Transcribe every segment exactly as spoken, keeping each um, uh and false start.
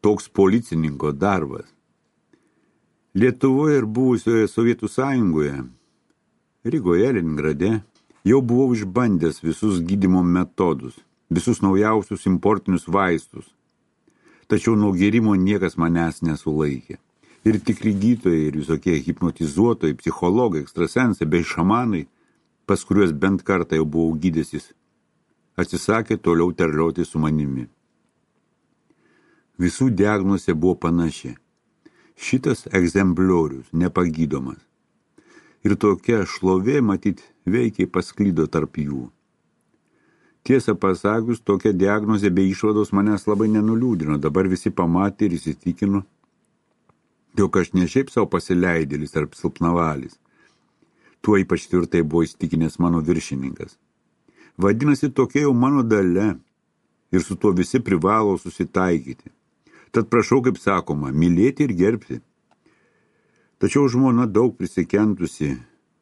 toks policininko darbas. Lietuvoje ir buvusioje Sovietų sąjungoje, Rygoje, Leningrade, jau buvau išbandęs visus gydymo metodus, visus naujausius importinius vaistus. Tačiau nuo gėrimo niekas manęs nesulaikė. Ir tikri gydytojai, ir visokie hipnotizuotojai, psichologai, ekstrasensai bei šamanai, pas kuriuos bent kartą jau buvau gydęsis, atsisakė toliau terlioti su manimi. Visų diagnozė buvo panaši. Šitas egzempliorius nepagydomas. Ir tokia šlovė, matyt, veikiai pasklydo tarp jų. Tiesą pasakius, tokia diagnozė bei išvados manęs labai nenuliūdino. Dabar visi pamatė ir įsitikino, jog aš ne šiaip savo pasileidėlis ar silpnavalis. Tuo ypač tvirtai buvo įsitikinęs mano viršininkas. Vadinasi, tokia jau mano dalia ir su tuo visi privalo susitaikyti. Tad prašau, kaip sakoma, mylėti ir gerbti. Tačiau žmona daug prisikentusi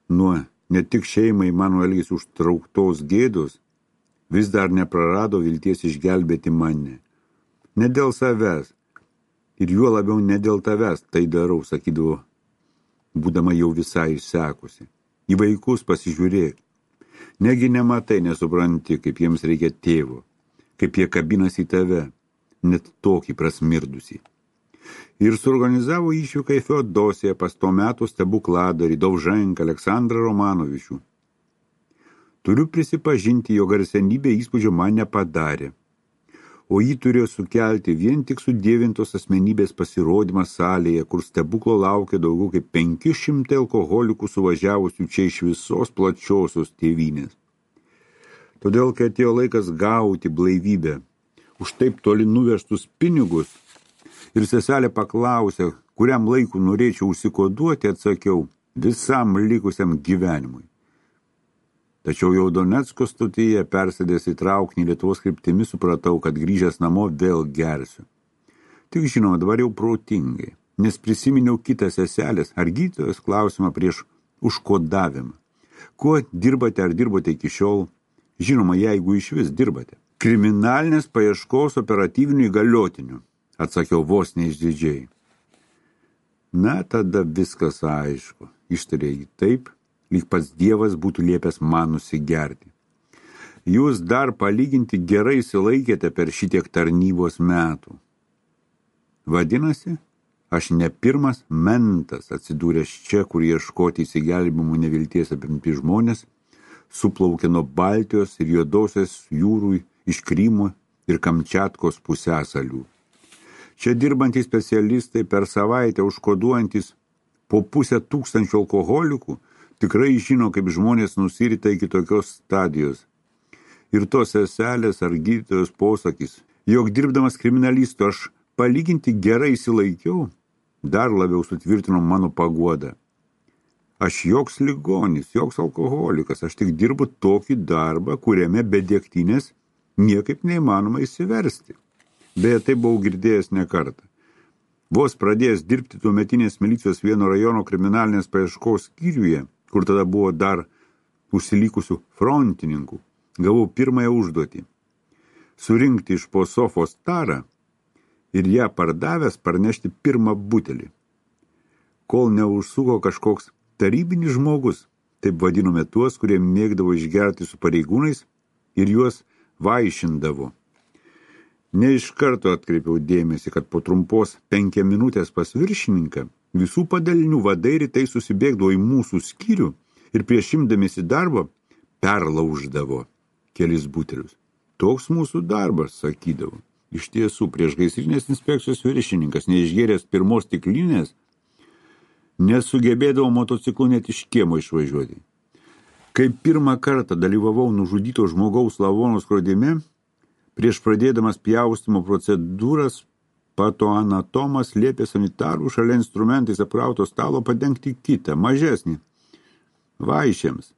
nuo ne tik šeimai mano elgesį užtrauktos gėdos, vis dar neprarado vilties išgelbėti mane. Ne dėl savęs, ir juo labiau ne dėl tavęs tai darau, sakydavo, būdama jau visai išsekusi. Į vaikus pasižiūrėk. Negi nematai, nesupranti, kaip jiems reikia tėvo, kaip jie kabinasi į tave, net tokį prasmirdusį. Ir suorganizavo išvyką į Feodosiją pas to metų stebukladarį Dovženką Aleksandrą Romanovičių. Turiu prisipažinti, jo garsenybė įspūdžio man nepadarė, o jį turėjo sukelti vien tik sudievintos asmenybės pasirodymas salėje, kur stebuklo laukia daugiau kaip penki šimtai alkoholikų suvažiavusių čia iš visos plačiosios tėvynės. Todėl, kai atėjo laikas gauti blaivybę už taip toli nuvežtus pinigus, ir seselė paklausė, kuriam laiku norėčiau užsikoduoti, atsakiau, visam likusiam gyvenimui. Tačiau jau Donecko stotyje persėdęs į traukinį Lietuvos kryptimi supratau, kad grįžęs namo vėl gersiu. Tik žinoma, dabar jau protingai, nes prisiminiau kitą seselės ar gydytojos klausimą prieš užkodavimą. Kuo dirbate ar dirbote iki šiol? Žinoma, jeigu iš vis dirbate. Kriminalinės paieškos operatyvinių įgaliotinių, atsakiau vos neišdidžiai. Na, tada viskas aišku, ištarė jį taip, lyg pats Dievas būtų liepęs man nusigerti. Jūs dar palyginti gerai išsilaikėte per šitiek tarnybos metų. Vadinasi, aš ne pirmas mentas atsidūręs čia, kur ieškoti įsigelbimų nevilties apimti žmonės, suplaukė nuo Baltijos ir Juodosios jūrų iš Krymo ir Kamčiatkos pusiasalių. Čia dirbantys specialistai per savaitę užkoduojantis po pusę tūkstančių alkoholikų tikrai žino, kaip žmonės nusirita iki tokios stadijos. Ir tos seselės ar gydytojos posakis, jog dirbdamas kriminalistu aš palyginti gerai įsilaikiau, dar labiau sutvirtino mano paguodą. Aš joks ligonis, joks alkoholikas, aš tik dirbu tokį darbą, kuriame be degtinės niekaip neįmanoma įsiversti. Beje, tai buvau girdėjęs ne kartą. Vos pradėjęs dirbti tuometinės milicijos vieno rajono kriminalinės paieškos skyriuje, kur tada buvo dar užsilikusių frontininkų, gavau pirmąją užduotį. Surinkti iš po sofos tarą ir ją pardavęs parnešti pirmą butelį. Kol neužsuko kažkoks tarybinis žmogus, taip vadinome tuos, kurie mėgdavo išgerti su pareigūnais ir juos vaišindavo. Ne iš karto atkreipiau dėmesį, kad po trumpos penkia minutės pas viršininką visų padalinių vadai rytai susibėgdavo į mūsų skyrių ir prieš imdamiesi darbo perlauždavo kelis butelius. Toks mūsų darbas, sakydavo. Iš tiesų, prieš gaisrinės inspekcijos viršininkas, neišgėręs pirmos stiklinės, nesugebėdavo motociklu net iš kiemo išvažiuoti. Kai pirmą kartą dalyvavau nužudyto žmogaus lavono skrodime, prieš pradėdamas pjaustymo procedūras, patoanatomas liepė sanitarų šalia instrumentais apkrauto stalo padengti kitą, mažesnį, vaišėms.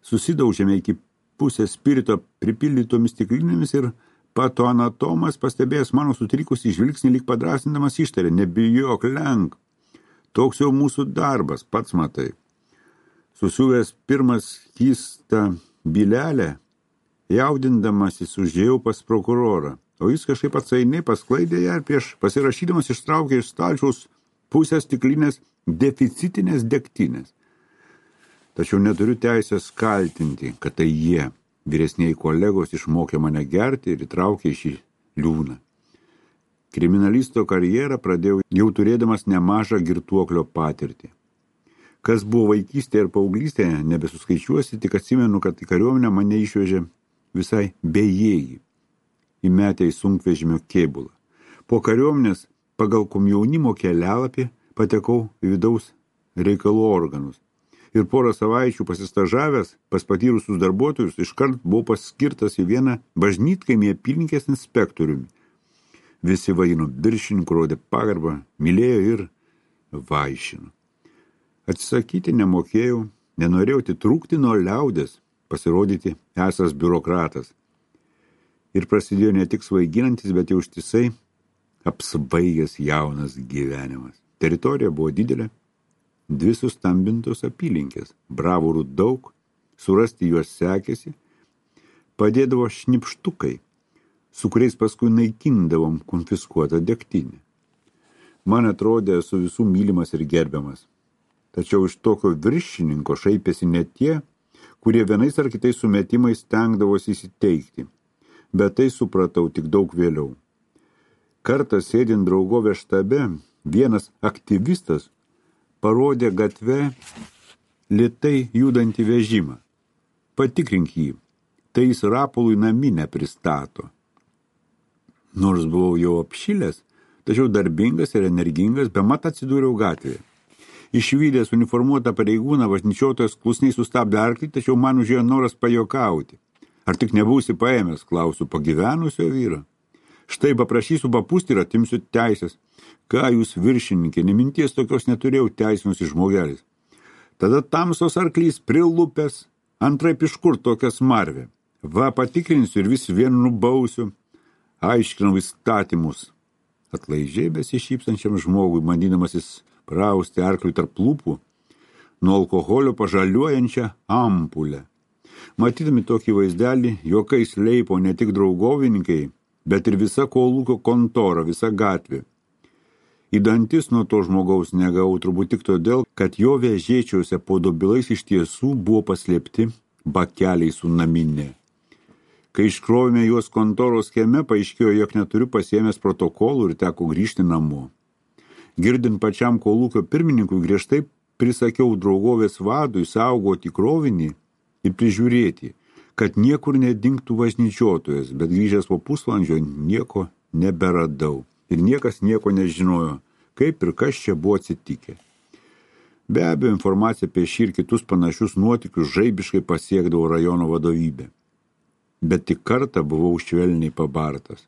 Susidaužėme iki pusės spirito pripildytomis stiklinėmis ir patoanatomas, pastebėjęs mano sutrikusį žvilgsnį, lyg padrasindamas ištarė, nebijok, lenk. Toks jau mūsų darbas, pats matai. Susiuvęs pirmas skystą bylelę, jaudindamasis užėjau pas prokurorą, o jis kažkaip atsainiai pasklaidė ją ir prieš pasirašydamas ištraukė iš stalčiaus pusės stiklinės deficitinės degtinės. Tačiau neturiu teisės kaltinti, kad tai jie, vyresniai kolegos, išmokė mane gerti ir įtraukė į šį liūną. Kriminalisto karjerą pradėjau jau turėdamas nemažą girtuoklio patirtį. Kas buvo vaikystėje ir paauglystėje, nebesuskaičiuosi, tik atsimenu, kad į kariuomenę mane išvežė visai bejėgį, įmetę į sunkvežimio kėbulą. Po kariuomenės pagal komjaunimo kelialapį patekau į vidaus reikalų organus. Ir porą savaičių pasistažavęs pas patyrusius darbuotojus iškart buvau paskirtas į vieną bažnytkaimį apylinkės inspektoriumi. Visi vadino viršininku, rodė pagarbą, mylėjo ir vaišino. Atsisakyti nemokėjau, nenorėjau atitrūkti nuo liaudės, pasirodyti esas biurokratas. Ir prasidėjo ne tik svaiginantis, bet jau ištisai apsvaigęs jaunas gyvenimas. Teritorija buvo didelė, dvi sustambintos apylinkės, bravūrų daug, surasti juos sekėsi, padėdavo šnipštukai, su kuriais paskui naikindavom konfiskuotą degtinę. Man atrodė, esu visų mylimas ir gerbiamas. Tačiau iš tokio viršininko šaipėsi ne tie, kurie vienais ar kitais sumetimais stengdavosi įsiteikti, bet tai supratau tik daug vėliau. Kartą sėdint draugovės štabe, vienas aktyvistas parodė gatve lėtai judantį vežimą. Patikrink jį, tai jis rapolui naminę pristato. Nors buvau jau apšilęs, tačiau darbingas ir energingas, bemat atsidūriau gatvėje. Išvydęs uniformuotą pareigūną, važnyčiotojas klusniai sustabdė arklį, tačiau man užėjo noras pajokauti. Ar tik nebūsi paėmęs, klausiu pagyvenusio vyro. Štai paprašysiu papūsti ir atimsiu teisės. Ką jūs viršininkė, neminties tokios neturėjau, teisinusi žmogelis. Tada tamsos arklys prilupęs, antraip iš kur tokia smarvė. Va, patikrinsiu ir vis vien nubausiu. Aiškinau įstatymus. Atlaidžiai besišypsančiam žmogui, bandydamasis prausti arkliui tarp lūpų, nuo alkoholio pažaliuojančią ampulę. Matydami tokį vaizdelį, juokais leipo ne tik draugovininkai, bet ir visa kolūkio kontora, visa gatvė. Į dantis nuo to žmogaus negavau turbūt tik todėl, kad jo vežėčiuose po dobilais iš tiesų buvo paslėpti bakeliai su naminė. Kai iškrovėme juos kontoros kieme, paaiškėjo, jog neturiu pasiėmęs protokolų ir teko grįžti namo. Girdint pačiam kolūkio pirmininkui, griežtai prisakiau draugovės vadui saugoti krovinį ir prižiūrėti, kad niekur nedingtų važnyčiotojas, bet grįžęs po pusvalandžio nieko neberadau. Ir niekas nieko nežinojo, kaip ir kas čia buvo atsitikę. Be abejo, informacija apie šį ir kitus panašius nuotykius žaibiškai pasiekdavo rajono vadovybę. Bet tik kartą buvau švelniai pabartas.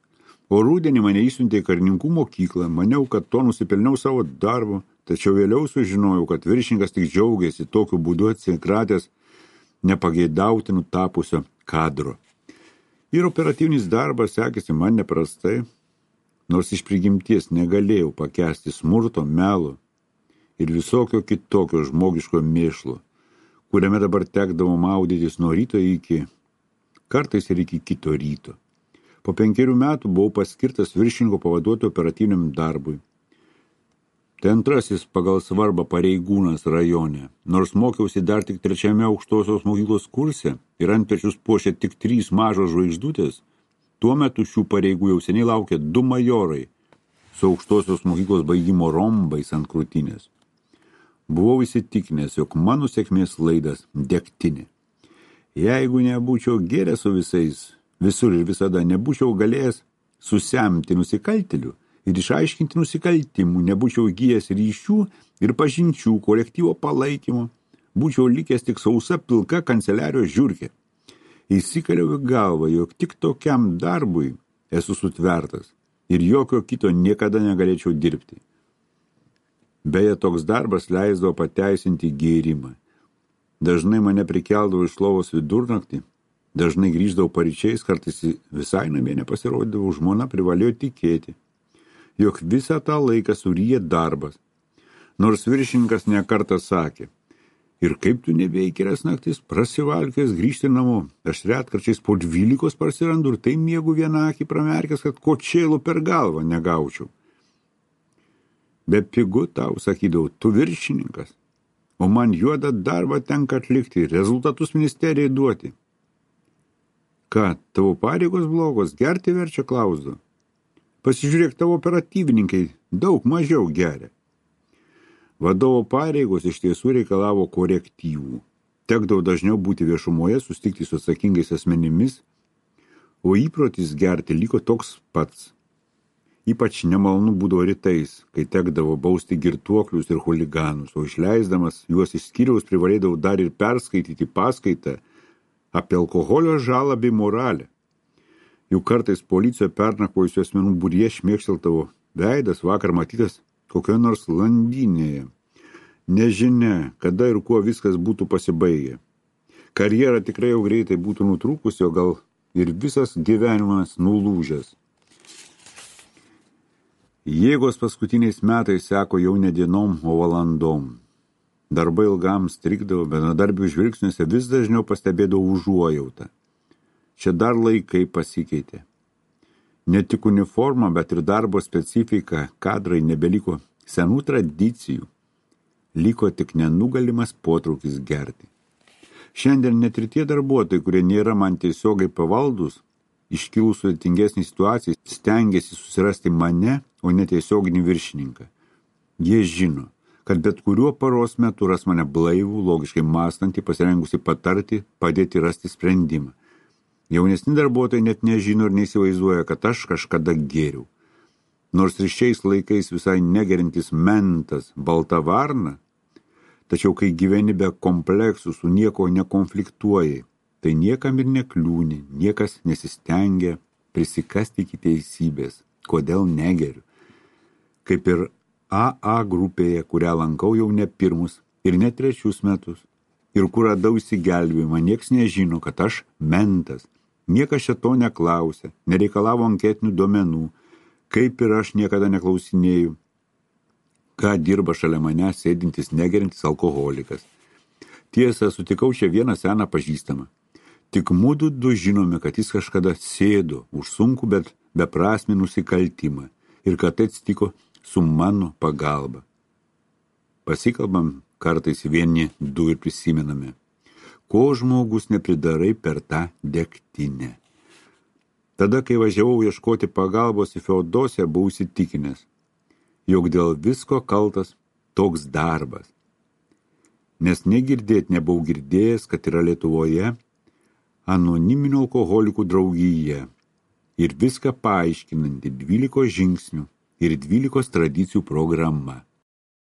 O rudenį mane įsiuntė į karininkų mokyklą, maniau, kad to nusipelniau savo darbo, tačiau vėliau sužinojau, kad viršininkas tik džiaugiasi tokiu būdu atsikratęs nepageidautinų tapusio kadro. Ir operatyvinis darbas sekėsi man neprastai, nors iš prigimties negalėjau pakęsti smurto, melo ir visokio kitokio žmogiško mėšlo, kuriame dabar tekdavo maudytis nuo ryto iki, kartais ir iki kito ryto. Po penkerių metų buvau paskirtas viršininko pavaduotojo operatyviniam darbui. Tai antrasis pagal svarbą pareigūnas rajone. Nors mokiausi dar tik trečiame aukštosios mokyklos kurse ir ant pečius puošė tik trys mažos žvaigždutės, tuo metu šių pareigų jau seniai laukė du majorai su aukštosios mokyklos baigimo rombais ant krūtinės. Buvau įsitikinęs, jog mano sėkmės laidas degtinė. Jeigu nebūčiau gėręs su visais, visur ir visada nebūčiau galėjęs susemti nusikaltėlių ir išaiškinti nusikaltimų, nebūčiau įgijęs ryšių ir pažinčių kolektyvo palaikymo, būčiau likęs tik sausa pilka kanceliarijos žiurkė. Įsikaliau į galvą, jog tik tokiam darbui esu sutvertas ir jokio kito niekada negalėčiau dirbti. Beje, toks darbas leisdavo pateisinti gėrimą. Dažnai mane prikeldavo iš lovos vidurnaktį, dažnai grįždavau paryčiais, kartais visai namie nepasirodydavau, žmona privalėjo tikėti, jog visą tą laiką suryja darbas. Nors viršininkas nekartą sakė, Ir kaip tu nebeįkerias naktis, prasivalkęs grįžti namo. Aš retkarčiais po dvylikos parsirandu ir tai miegu vieną akį pramerkęs, kad kočėlų per galvą negaučiau. Be pigu tau, sakydavau, tu viršininkas, o man juodą darbą tenka atlikti, rezultatus ministerijai duoti. Ką, tavo pareigos blogos, gerti verčia, klausdavo. Pasižiūrėk, tavo operatyvininkai daug mažiau geria. Vadovo pareigos iš tiesų reikalavo korektyvų. Tekdavo dažniau būti viešumoje, susitikti su atsakingais asmenimis, o įprotis gerti liko toks pats. Ypač nemalonu būdavo rytais, kai tekdavo bausti girtuoklius ir chuliganus, o išleisdamas juos iš skyriaus privalėdavau dar ir perskaityti paskaitą apie alkoholio žalą bei moralę. Juk kartais policijoje pernakvojusių asmenų būryje šmėkšteltavo veidas vakar matytas kokioje nors landynėje. Nežinia, kada ir kuo viskas būtų pasibaigę. Karjera tikrai jau greitai būtų nutrūkusi, o gal ir visas gyvenimas nulūžęs. Jėgos paskutiniais metais seko jau ne dienom, o valandom. Darbai ilgam strigdavo, benadarbių žvilgsniuose vis dažniau pastebėdavo užuojautą. Čia dar laikai pasikeitė. Ne tik uniforma, bet ir darbo specifika, kadrai nebeliko senų tradicijų. Liko tik nenugalimas potraukis gerti. Šiandien net ir tie darbuotojai, kurie nėra man tiesiogai pavaldus, iškilus sudėtingesnį situaciją, stengiasi susirasti mane, o ne tiesioginį viršininką. Jie žino, kad bet kuriuo paros metu ras mane blaivų, logiškai mąstantį, pasirengusi patarti, padėti rasti sprendimą. Jaunesni darbuotojai net nežino ir neįsivaizduoja, kad aš kažkada gėriau. Nors ir šiais laikais visai negerintis mentas, balta varna, tačiau kai gyveni be kompleksų, su nieko nekonfliktuoji, tai niekam ir nekliūni, niekas nesistengia prisikasti iki teisybės. Kodėl negeriu? Kaip ir A A grupėje, kurią lankau jau ne pirmus ir ne trečius metus, ir kur radau įsigelbėjimą, nieks nežino, kad aš mentas. Niekas čia to neklausė, nereikalavo anketinių duomenų, kaip ir aš niekada neklausinėjau, ką dirba šalia mane sėdintis negerintis alkoholikas. Tiesa, sutikau čia vieną seną pažįstamą. Tik mudu du žinome, kad jis kažkada sėdo už sunkų, bet beprasmį nusikaltimą ir kad tai atsitiko su mano pagalba. Pasikalbam kartais vieni du ir prisimename, ko žmogus nepridarai per tą degtinę. Tada, kai važiavau ieškoti pagalbos į Feodosiją, buvau įsitikinęs, jog dėl visko kaltas toks darbas. Nes negirdėt nebuvau girdėjęs, kad yra Lietuvoje anoniminių alkoholikų draugija ir viską paaiškinanti dvylikos žingsnių ir dvylikos tradicijų programa.